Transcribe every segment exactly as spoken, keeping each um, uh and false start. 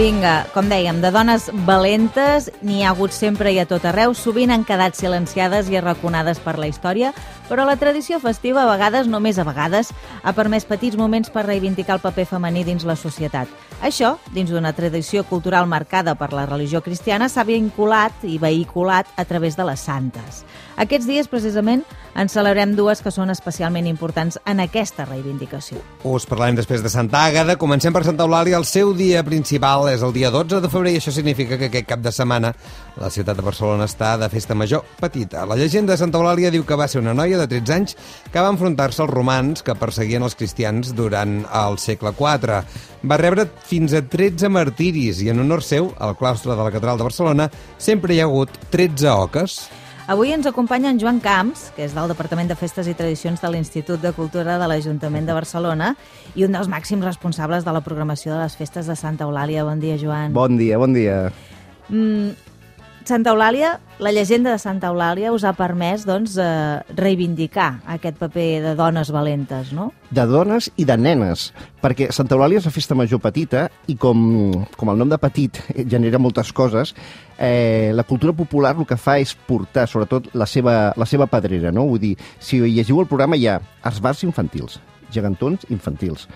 Vinga, com dèiem, de dones valentes n'hi ha hagut sempre i a tot arreu, sovint han quedat silenciades i arraconades per la història, però la tradició festiva, a vegades, només a vegades, ha permès petits moments per reivindicar el paper femení dins la societat. Això, dins d'una tradició cultural marcada per la religió cristiana, s'ha vinculat i vehiculat a través de les santes. Aquests dies, precisament, en celebrem dues que són especialment importants en aquesta reivindicació. Us parlarem després de Santa Àgueda. Comencem per Santa Eulàlia. El seu dia principal és el dia dotze de febrer i això significa que aquest cap de setmana la ciutat de Barcelona està de festa major petita. La llegenda de Santa Eulàlia diu que va ser una noia de tretze anys que va enfrontar-se als romans que perseguien els cristians durant el segle quatre. Va rebre fins a tretze martiris i en honor seu, al claustre de la Catedral de Barcelona, sempre hi ha hagut tretze oques. Avui ens acompanya en Joan Camps, que és del Departament de Festes i Tradicions de l'Institut de Cultura de l'Ajuntament de Barcelona i un dels màxims responsables de la programació de les festes de Santa Eulàlia. Bon dia, Joan. Bon dia, bon dia. Mm, Santa Eulàlia, la llegenda de Santa Eulàlia us ha permès doncs, eh, reivindicar aquest paper de dones valentes, no? De dones i de nenes, perquè Santa Eulàlia és la festa major petita i com, com el nom de petit genera moltes coses, eh, la cultura popular el que fa és portar, sobretot, la seva, la seva pedrera, no? Vull dir, si llegiu el programa hi ha esbarts infantils, gegantons infantils,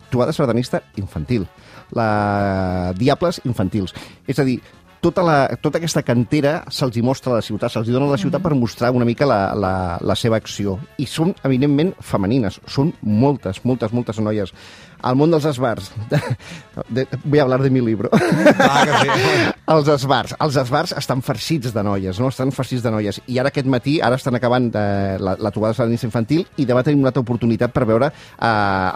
trobada sardanista infantil, la Diables infantils. És a dir, tota, la, tota aquesta cantera se'ls hi mostra a la ciutat, se'ls hi dona a la ciutat per mostrar una mica la, la, la seva acció. I són, evidentment, femenines. Són moltes, moltes, moltes noies. Al món dels esbars. De, de, voy a hablar de mi libro. Clar que sí. Els esbars. Els esbars estan farcits de noies, no? Estan farcits de noies. I ara aquest matí, ara estan acabant eh, la, la trobada sardanista infantil i demà tenim una altra oportunitat per veure eh,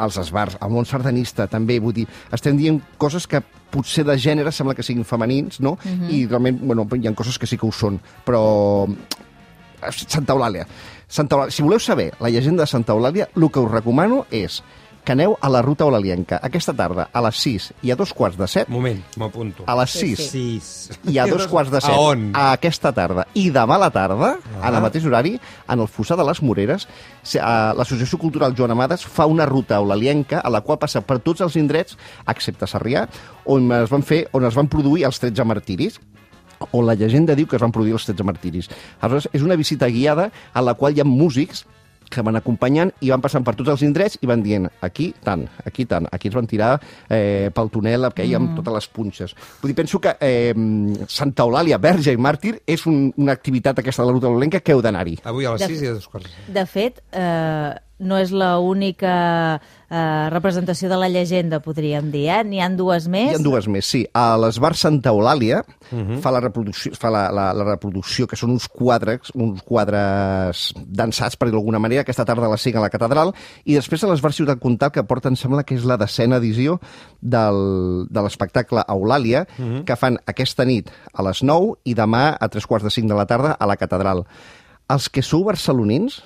els esbars. El món sardanista, també. Vull dir, estem dient coses que potser de gènere sembla que siguin femenins, no? Uh-huh. I realment, bueno, hi ha coses que sí que ho són. Però Santa Eulàlia. Santa Eulàlia. Si voleu saber la llegenda de Santa Eulàlia, el que us recomano és que aneu a la Ruta Eulalienca aquesta tarda a les sis i a dos quarts de set. Moment, m'apunto. A les sis sí, sí. i a dos quarts de set. A on? A aquesta tarda. I demà a la tarda, ah. en el mateix horari, en el Fossar de les Moreres, l'Associació Cultural Joan Amades fa una ruta eulalienca a la qual passa per tots els indrets, excepte Sarrià, on es van fer, on es van produir els tretze martiris, on la llegenda diu que es van produir els tretze martiris. Aleshores, és una visita guiada en la qual hi ha músics que van acompanyant i van passant per tots els indrets i van dient, aquí tant, aquí tant, aquí es van tirar eh, pel túnel que hi ha amb totes les punxes. Vull dir, penso que eh, Santa Eulàlia, verge i màrtir, és un, una activitat aquesta de la ruta eulalienca que heu d'anar-hi. Avui a les De- sis i a dos quarts. De fet, eh, no és l'única eh, representació de la llegenda, podríem dir, eh? N'hi ha dues més. Hi ha dues més, sí. A l'Esbar Santa Eulàlia Mhm. fa, la reproducció, fa la, la, la reproducció, que són uns quadres, uns quadres dansats, per dir d'alguna manera, aquesta tarda a les cinc a la catedral, i després a l'Esbar Ciutat Comtal, que porten, sembla que és la decena edició del, de l'espectacle Eulàlia, Mhm. que fan aquesta nit a les nou i demà a tres quarts de cinc de la tarda a la catedral. Els que sou barcelonins,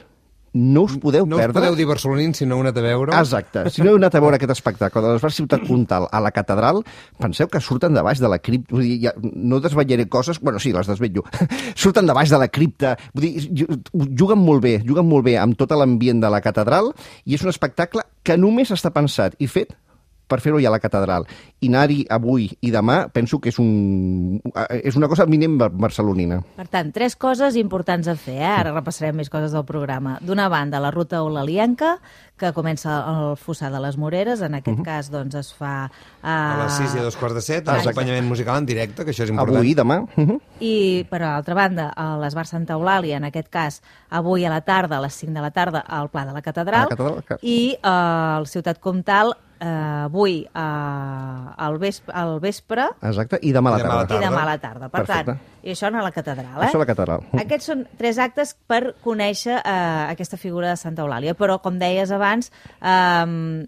no us podeu No us perdre... podeu dir barcelonins si no heu anat a veure. Exacte. Si no heu anat a veure aquest espectacle de l'Esbar Ciutat Comtal a la catedral, penseu que surten de baix de la cripta. Vull dir, ja, no desvetllaré coses... Bueno, sí, les desvetllo. Surten de baix de la cripta. Vull dir, juguen molt bé, juguen molt bé amb tot l'ambient de la catedral i és un espectacle que només està pensat i fet per fer-ho ja a la catedral. I anar-hi avui i demà penso que és, un, és una cosa mínim barcelonina. Per tant, tres coses importants a fer, eh? Ara repassarem més coses del programa. D'una banda, la ruta eulalienca, que comença al Fossar de les Moreres, en aquest uh-huh. cas doncs, es fa... Uh... A les sis i a dos quarts de set, amb acompanyament musical en directe, que això és important. Avui i demà. Uh-huh. I, per altra banda, a l'Esbar Santa Eulàlia, en aquest cas, avui a la tarda, a les cinc de la tarda, al Pla de la Catedral, A la catedral, que- i uh, al Ciutat Comtal, eh, avui uh, al, vespre, al vespre Exacte, i demà a la I demà a la tarda. i demà a la tarda. Per Perfecte. tant, i això a la catedral, eh? Això a la catedral. Aquests són tres actes per conèixer eh, aquesta figura de Santa Eulàlia, però, com deies abans, eh,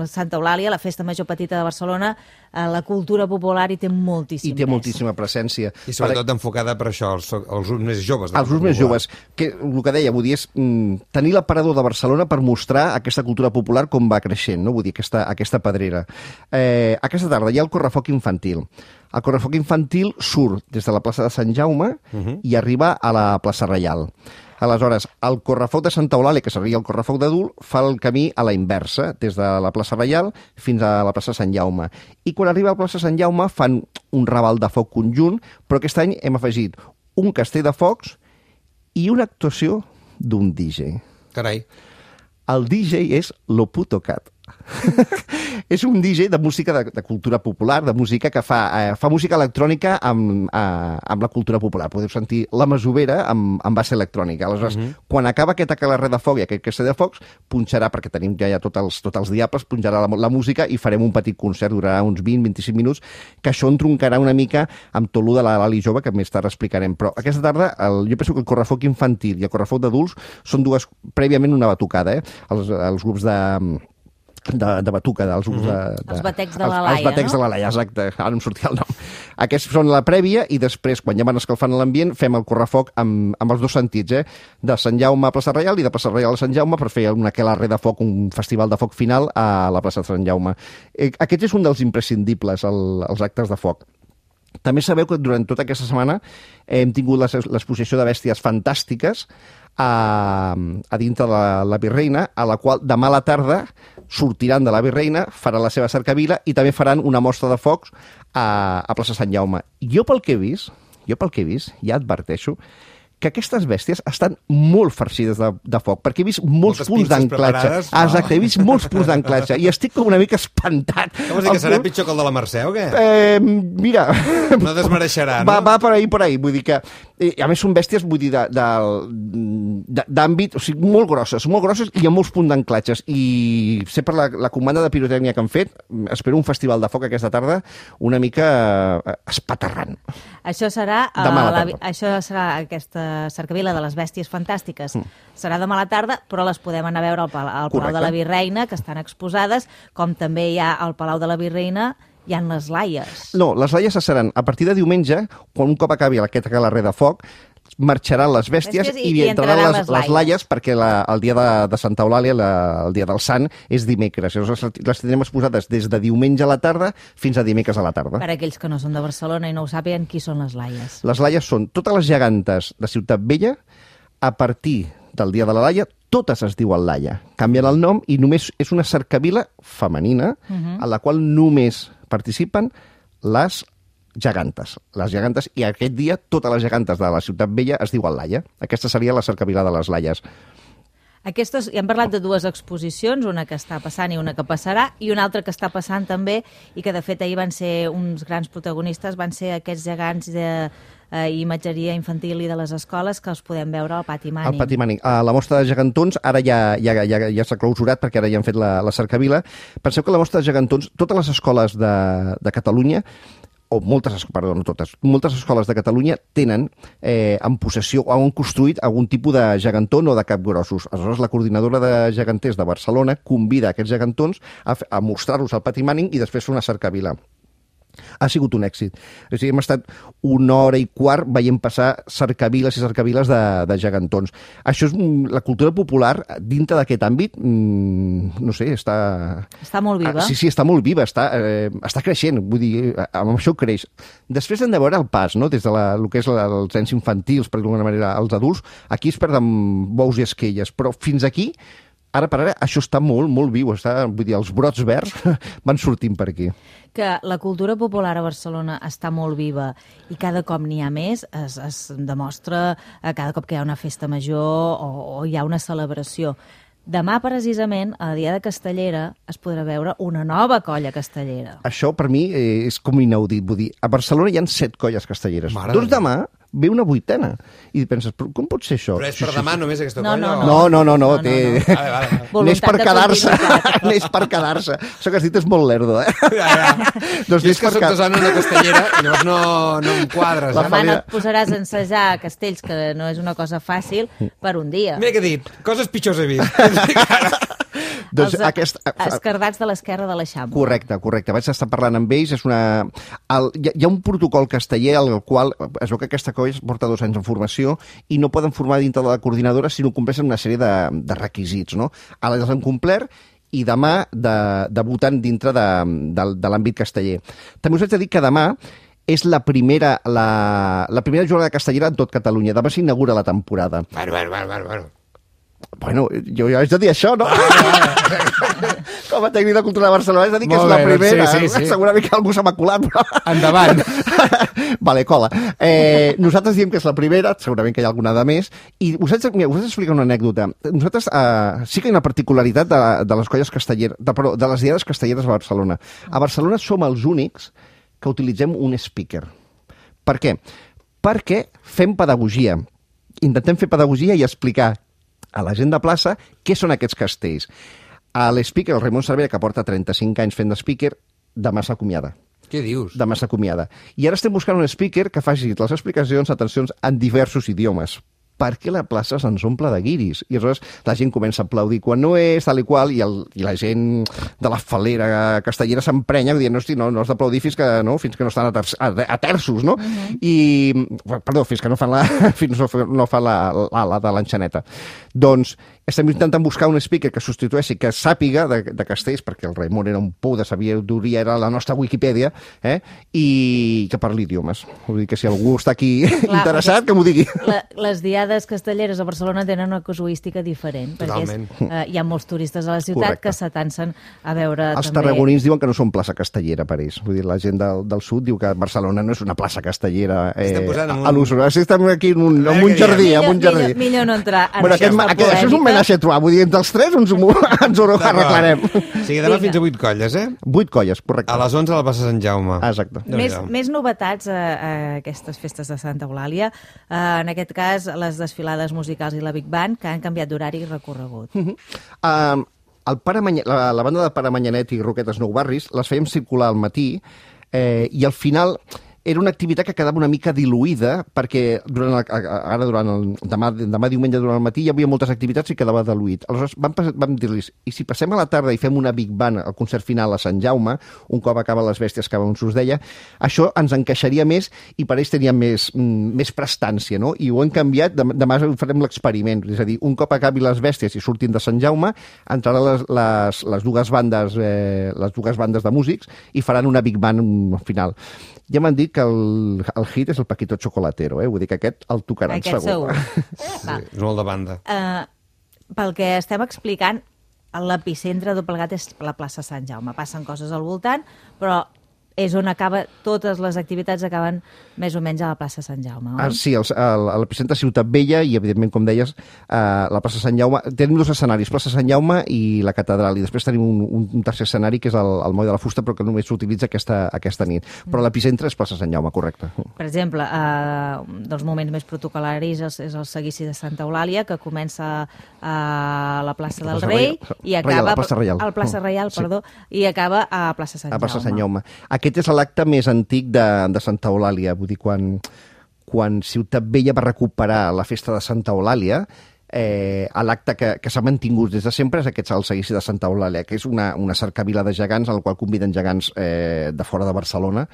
Santa Eulàlia, la festa major petita de Barcelona, eh, la cultura popular hi té moltíssim I té pes. moltíssima presència. I sobretot enfocada per això, als, als grups més joves. de Els grups més popular. joves, que el que deia, vull dir, és mm, tenir l'aparador de Barcelona per mostrar aquesta cultura popular com va creixent, no? Vull dir, aquesta, aquesta pedrera. Eh, aquesta tarda hi ha el correfoc infantil. El correfoc infantil surt des de la plaça de Sant Jaume Mhm. i arriba a la plaça Reial. Aleshores, el correfoc de Santa Eulàlia, que seria el correfoc d'adult, fa el camí a la inversa, des de la plaça Reial fins a la plaça Sant Jaume. I quan arriba a la plaça Sant Jaume fan un raval de foc conjunt, però aquest any hem afegit un castell de focs i una actuació d'un D J. Carai. El D J és Lo Puto Cat. És un D J de música de, de cultura popular, de música que fa, eh, fa música electrònica amb, eh, amb la cultura popular. Podeu sentir la masovera amb, amb base electrònica. Aleshores, uh -huh. quan acaba aquest aquelarre de foc i aquest castell de focs, punxarà, perquè tenim ja, ja tots, els, tots els diables, punxarà la, la música i farem un petit concert, durarà uns vint a vint-i-cinc minuts, que això entroncarà una mica amb tot lo de la Lali Jove, que més tard explicarem. Però aquesta tarda, el, jo penso que el correfoc infantil i el correfoc d'adults són dues, prèviament una batucada, eh? Els, els grups de... De, de batuca, dels grups de, de... Els batecs de la els, Laia, els batecs no? de la Laia, exacte. Ara em sortia el nom. Aquests són la prèvia i després, quan ja van escalfant l'ambient, fem el correfoc amb, amb els dos sentits, eh? De Sant Jaume a Plaça Reial i de Plaça Reial a Sant Jaume per fer un aquelarre de foc, un festival de foc final a la plaça de Sant Jaume. Eh, aquest és un dels imprescindibles, el, els actes de foc. També sabeu que durant tota aquesta setmana hem tingut l'exposició de bèsties fantàstiques a, a dintre de la, la Virreina, a la qual demà a la tarda sortiran de la Virreina, faran la seva cercavila i també faran una mostra de focs a, a plaça Sant Jaume. Jo pel que he vist, jo pel que he vist, ja adverteixo, que aquestes bèsties estan molt farcides de, de foc, perquè he vist molts Moltes punts d'anclatge. No. Ah, exacte, he vist molts punts d'anclatge i estic com una mica espantat. Que vols dir, que serà pitjor que el de la Mercè o què? Eh, mira... No desmereixerà, no? Va, va per ahí, per ahí. Vull dir que... Eh, a més, són bèsties, vull dir, d'àmbit, o sigui, molt grosses, molt grosses i amb molts punts d'anclatges. I sé per la, la comanda de pirotècnia que han fet, espero un festival de foc aquesta tarda una mica eh, espaterrant. Això serà, uh, la, això serà aquesta cercavila de les bèsties fantàstiques. Mm. Serà demà a la tarda, però les podem anar a veure al, Palau, al Palau de la Virreina, que estan exposades, com també hi ha al Palau de la Virreina, hi ha les laies. No, les laies seran a partir de diumenge, quan un cop acabi aquest aquelarre de foc, marxaran les bèsties, bèsties i, i entraran les, les, les laies, perquè la, el dia de, de Santa Eulàlia, la, el dia del Sant, és dimecres. Llavors les tindrem exposades des de diumenge a la tarda fins a dimecres a la tarda. Per aquells que no són de Barcelona i no ho sàpiguen, qui són les laies? Les laies són totes les gegantes de Ciutat Vella, a partir del dia de la Laia, totes es diuen Laia. Canvien el nom i només és una cercavila femenina, uh-huh. a la qual només participen les gegantes. Les gegantes, i aquest dia totes les gegantes de la Ciutat Vella es diuen Laia. Aquesta seria la cercavila de les Laies. Aquestes, ja hem parlat de dues exposicions, una que està passant i una que passarà, i una altra que està passant també, i que de fet ahir van ser uns grans protagonistes, van ser aquests gegants de eh, imatgeria infantil i de les escoles que els podem veure al Pati Mànic. Al Pati Mànic. A la mostra de gegantons ara ja, ja, ja, ja s'ha clausurat perquè ara ja han fet la, la cercavila. Penseu que la mostra de gegantons, totes les escoles de, de Catalunya, o moltes, perdó, no totes, moltes escoles de Catalunya tenen eh, en possessió o han construït algun tipus de gegantón o de capgrossos. Aleshores, la coordinadora de geganters de Barcelona convida aquests gegantons a, a mostrar-los al Pati Mànic i després fer una cercavila. Ha sigut un èxit. O sigui, hem estat una hora i quart veient passar cercaviles i cercaviles de, de gegantons. Això és la cultura popular dintre d'aquest àmbit, mmm, no sé, està... Està molt viva. Ah, sí, sí, està molt viva, està, eh, està creixent, vull dir, amb això creix. Després hem de veure el pas, no?, des de la, el que és la, els ens infantils, per d'alguna manera, els adults, aquí es perden bous i esquelles, però fins aquí, ara per ara, això està molt, molt viu, està, vull dir, els brots verds van sortint per aquí. Que la cultura popular a Barcelona està molt viva i cada cop n'hi ha més, es, es demostra cada cop que hi ha una festa major o, o hi ha una celebració. Demà, precisament, a Dia de Castellera, es podrà veure una nova colla castellera. Això, per mi, és com inaudit. Vull dir, a Barcelona hi ha set colles castelleres. Mare doncs demà ve una vuitena. I penses, com pot ser això? Però és per demà només aquesta no, colla? no, no, no, no, no, no, té... no, no. Vale, vale. N'és per quedar-se. N'és per quedar-se. Això que has dit és molt lerdo, eh? Ja, ja. doncs jo és que soc de zona una castellera i llavors no, no em quadres. La demà no et posaràs a ensejar castells, que no és una cosa fàcil, per un dia. Mira què he dit, coses pitjors he vist. Doncs els aquest... esquerdats de l'esquerra de l'Eixample. Correcte, correcte. Vaig estar parlant amb ells. És una... El... Hi ha un protocol casteller al qual es veu que aquesta colla porta dos anys en formació i no poden formar dintre de la coordinadora si no compleixen una sèrie de, de requisits, no? Ara els han complert i demà de, debutant dintre de, de, de l'àmbit casteller. També us haig de dir que demà és la primera, la, la primera jornada castellera en tot Catalunya. Demà s'inaugura la temporada. Bueno, bueno, bueno, bueno. Bueno, jo, jo haig de dir això, no? Com a tècnic de cultura de Barcelona, haig de dir que Molt és la bé, doncs primera. sí, sí, sí. Segurament que algú s'ha maculat, però... Endavant. Vale, cola. Eh, nosaltres diem que és la primera, segurament que hi ha alguna de més, i us haig, mira, us haig d'explicar una anècdota. Nosaltres eh, sí que hi ha una particularitat de, de les colles castelleres, de, perdó, de les diades castelleres a Barcelona. A Barcelona som els únics que utilitzem un speaker. Per què? Perquè fem pedagogia. Intentem fer pedagogia i explicar a la gent de plaça què són aquests castells. A l'speaker, el Raimon Cervera, que porta trenta-cinc anys fent de speaker, demà s'acomiada. Què dius? Demà s'acomiada. I ara estem buscant un speaker que faci les explicacions, atencions, en diversos idiomes, perquè la plaça se'ns omple de guiris. I aleshores la gent comença a aplaudir quan no és, tal i qual, i, el, i la gent de la falera castellera s'emprenya dient, no, hosti, no, no has d'aplaudir fins que no, fins que no estan a, ter a, a terços, no? Uh -huh. I, perdó, fins que no fan la, fins no, no fan la, la, la de l'enxaneta. Doncs estem intentant buscar un speaker que substitueixi, que sàpiga de, de castells, perquè el Raimon era un pou de sabidoria, era la nostra Wikipedia, eh? I que parli idiomes. Vull dir que si algú està aquí clar, interessat, que m'ho digui. La, les diades castelleres a Barcelona tenen una casuística diferent, Totalment. perquè és, eh, hi ha molts turistes a la ciutat Correcte. Que s'atansen a veure Els també... tarragonins diuen que no són plaça castellera per ells. Vull dir, la gent del, del sud diu que Barcelona no és una plaça castellera eh, un... a l'Usura. Si estem aquí en un, en un jardí, millor, en un jardí. Millor, millor no entrar en bueno, aquest, aquest, això és un menage a trois, vull dir, entre els tres ens ho, ens ho arreglarem. O sigui, demà fins a vuit colles, eh? Vuit colles, correcte. A les onze a la plaça Sant Jaume. Ah, exacte. Més, més novetats a, a aquestes festes de Santa Eulàlia. Uh, en aquest cas, les desfilades musicals i la Big Band, que han canviat d'horari i recorregut. Uh -huh. uh, el Pare Manya, la, la banda de Pare Manyanet i Roquetes Nou Barris les fèiem circular al matí eh, i al final... era una activitat que quedava una mica diluïda perquè durant el, ara durant el, demà, demà diumenge durant el matí hi havia moltes activitats i quedava diluït. Aleshores vam, vam dir-los, i si passem a la tarda i fem una Big Band al concert final a Sant Jaume, un cop acaba les bèsties que abans us deia, això ens encaixaria més i per ells tenia més, més prestància, no? I ho hem canviat, demà farem l'experiment, és a dir, un cop acabi les bèsties i surtin de Sant Jaume, entraran les, les, les dues bandes eh, les dues bandes de músics i faran una Big Band final. Ja m'han dit que el, el hit és el Paquito Chocolatero, eh? Vull dir que aquest el tocaran aquest segur. segur. Sí, és molt de banda. Uh, pel que estem explicant, l'epicentre de Plegat és la plaça Sant Jaume. Passen coses al voltant, però és on acaba, totes les activitats acaben més o menys a la plaça Sant Jaume. Ah, sí, el, el, a l'epicentre Ciutat Vella i, evidentment, com deies, eh, la plaça Sant Jaume. Tenim dos escenaris, plaça Sant Jaume i la catedral, i després tenim un, un tercer escenari que és el, el Moll de la Fusta, però que només s'utilitza aquesta, aquesta nit. Però l'epicentre és plaça Sant Jaume, correcte. Per exemple, eh, un dels moments més protocolaris és, és el seguici de Santa Eulàlia, que comença a la plaça del plaça Rei Reial, i acaba... Reial, plaça Reial. Al plaça Reial, Sí. perdó, i acaba a plaça Sant A plaça Sant Jaume. Jaume. Aquest és l'acte més antic de, de Santa Eulàlia. Vull dir, quan, quan Ciutat Vella va recuperar la festa de Santa Eulàlia, eh, l'acte que, que s'ha mantingut des de sempre és aquest el seguici de Santa Eulàlia, que és una, una cercavila de gegants al qual conviden gegants eh, de fora de Barcelona.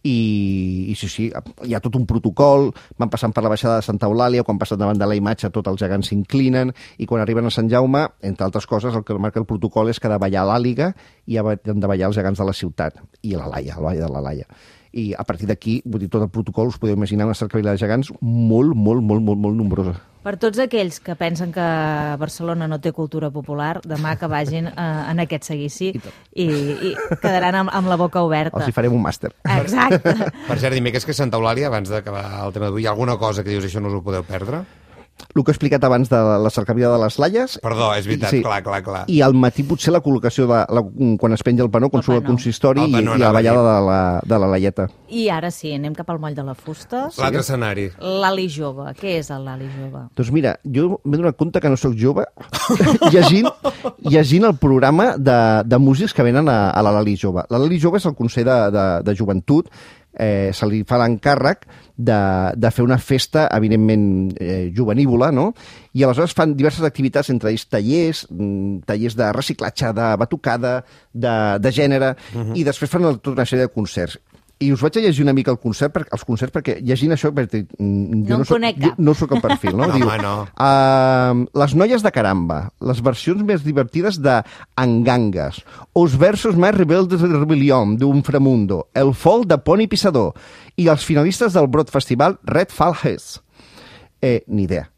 I, i sí, sí, hi ha tot un protocol, van passant per la baixada de Santa Eulàlia, quan passen davant de la imatge tots els gegants s'inclinen, i quan arriben a Sant Jaume, entre altres coses, el que marca el protocol és que ha de ballar l'àliga i han de ballar els gegants de la ciutat, i la Laia, el ball de la Laia. I a partir d'aquí, vull dir, tot el protocol, us podeu imaginar una cercavila de gegants molt, molt, molt, molt, molt nombrosa. Per tots aquells que pensen que Barcelona no té cultura popular, demà que vagin eh, en aquest seguici i, i quedaran amb, amb la boca oberta. Els hi farem un màster. Exacte. Per cert, dimecres que és Santa Eulàlia, abans d'acabar el tema d'avui, hi ha alguna cosa que dius això no us ho podeu perdre? El que he explicat abans de la cercavila de les Laies. Perdó, és veritat, sí. clar, clar, clar. I al matí potser la col·locació, de, la, quan es penja el panó, quan El surt el panó. consistori El i, panó, i la anava a dir. ballada de la, de la Laieta. I ara sí, anem cap al Moll de la Fusta. L'altre escenari. L'Ali Jove. Què és el Lali Jove? Doncs mira, jo m'he donat compte que no sóc jove llegint, llegint el programa de, de músics que venen a, a la Lali Jove. La Lali Jove és el Consell de, de, de Joventut, eh, se li fa l'encàrrec de, de fer una festa, evidentment, eh, juvenívola, no? I aleshores fan diverses activitats, entre ells tallers, mm, tallers de reciclatge, de batucada, de, de gènere, uh-huh. i després fan tota una sèrie de concerts. I us vaig a llegir una mica el concert, per, els concerts, perquè llegint això... Perquè, jo no, no, soc, jo no soc el perfil, no? No, Diu, home, no. Uh, les noies de caramba, les versions més divertides de Angangas, os versos més rebeldes de Rebellion, d'un Framundo, el folk de Pony Pissador i els finalistes del Broad Festival Red Falhes. Eh, ni idea.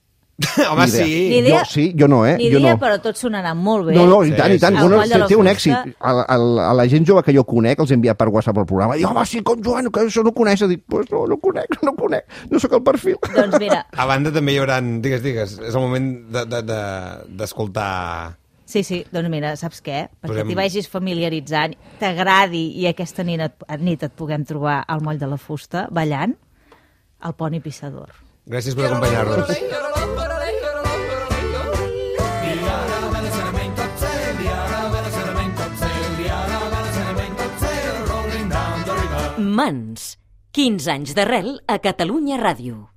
Home, Ni idea. sí. Ni idea, Jo sí, jo no, eh? Ni jo idea, no. però tot sonarà molt bé. No, no, i Sí, tant, i tant. sí. Bueno, El moll de la té un fusta. èxit. A, a, a la gent jove que jo conec els envia per WhatsApp el programa. Dic, home, sí, com Joan, que això no coneixes. Dic, pues no, no conec, no conec. No sóc el perfil. Doncs mira, A banda també hi haurà... Digues, digues, és el moment d'escoltar... De, de, sí, sí, doncs mira, saps què? Perquè Posem- t'hi vagis familiaritzant, t'agradi i aquesta nit et, nit et puguem trobar al moll de la fusta, ballant, el Pony Pissador. Gràcies per acompanyar-nos. Mans. quinze anys d'arrel a Catalunya Ràdio.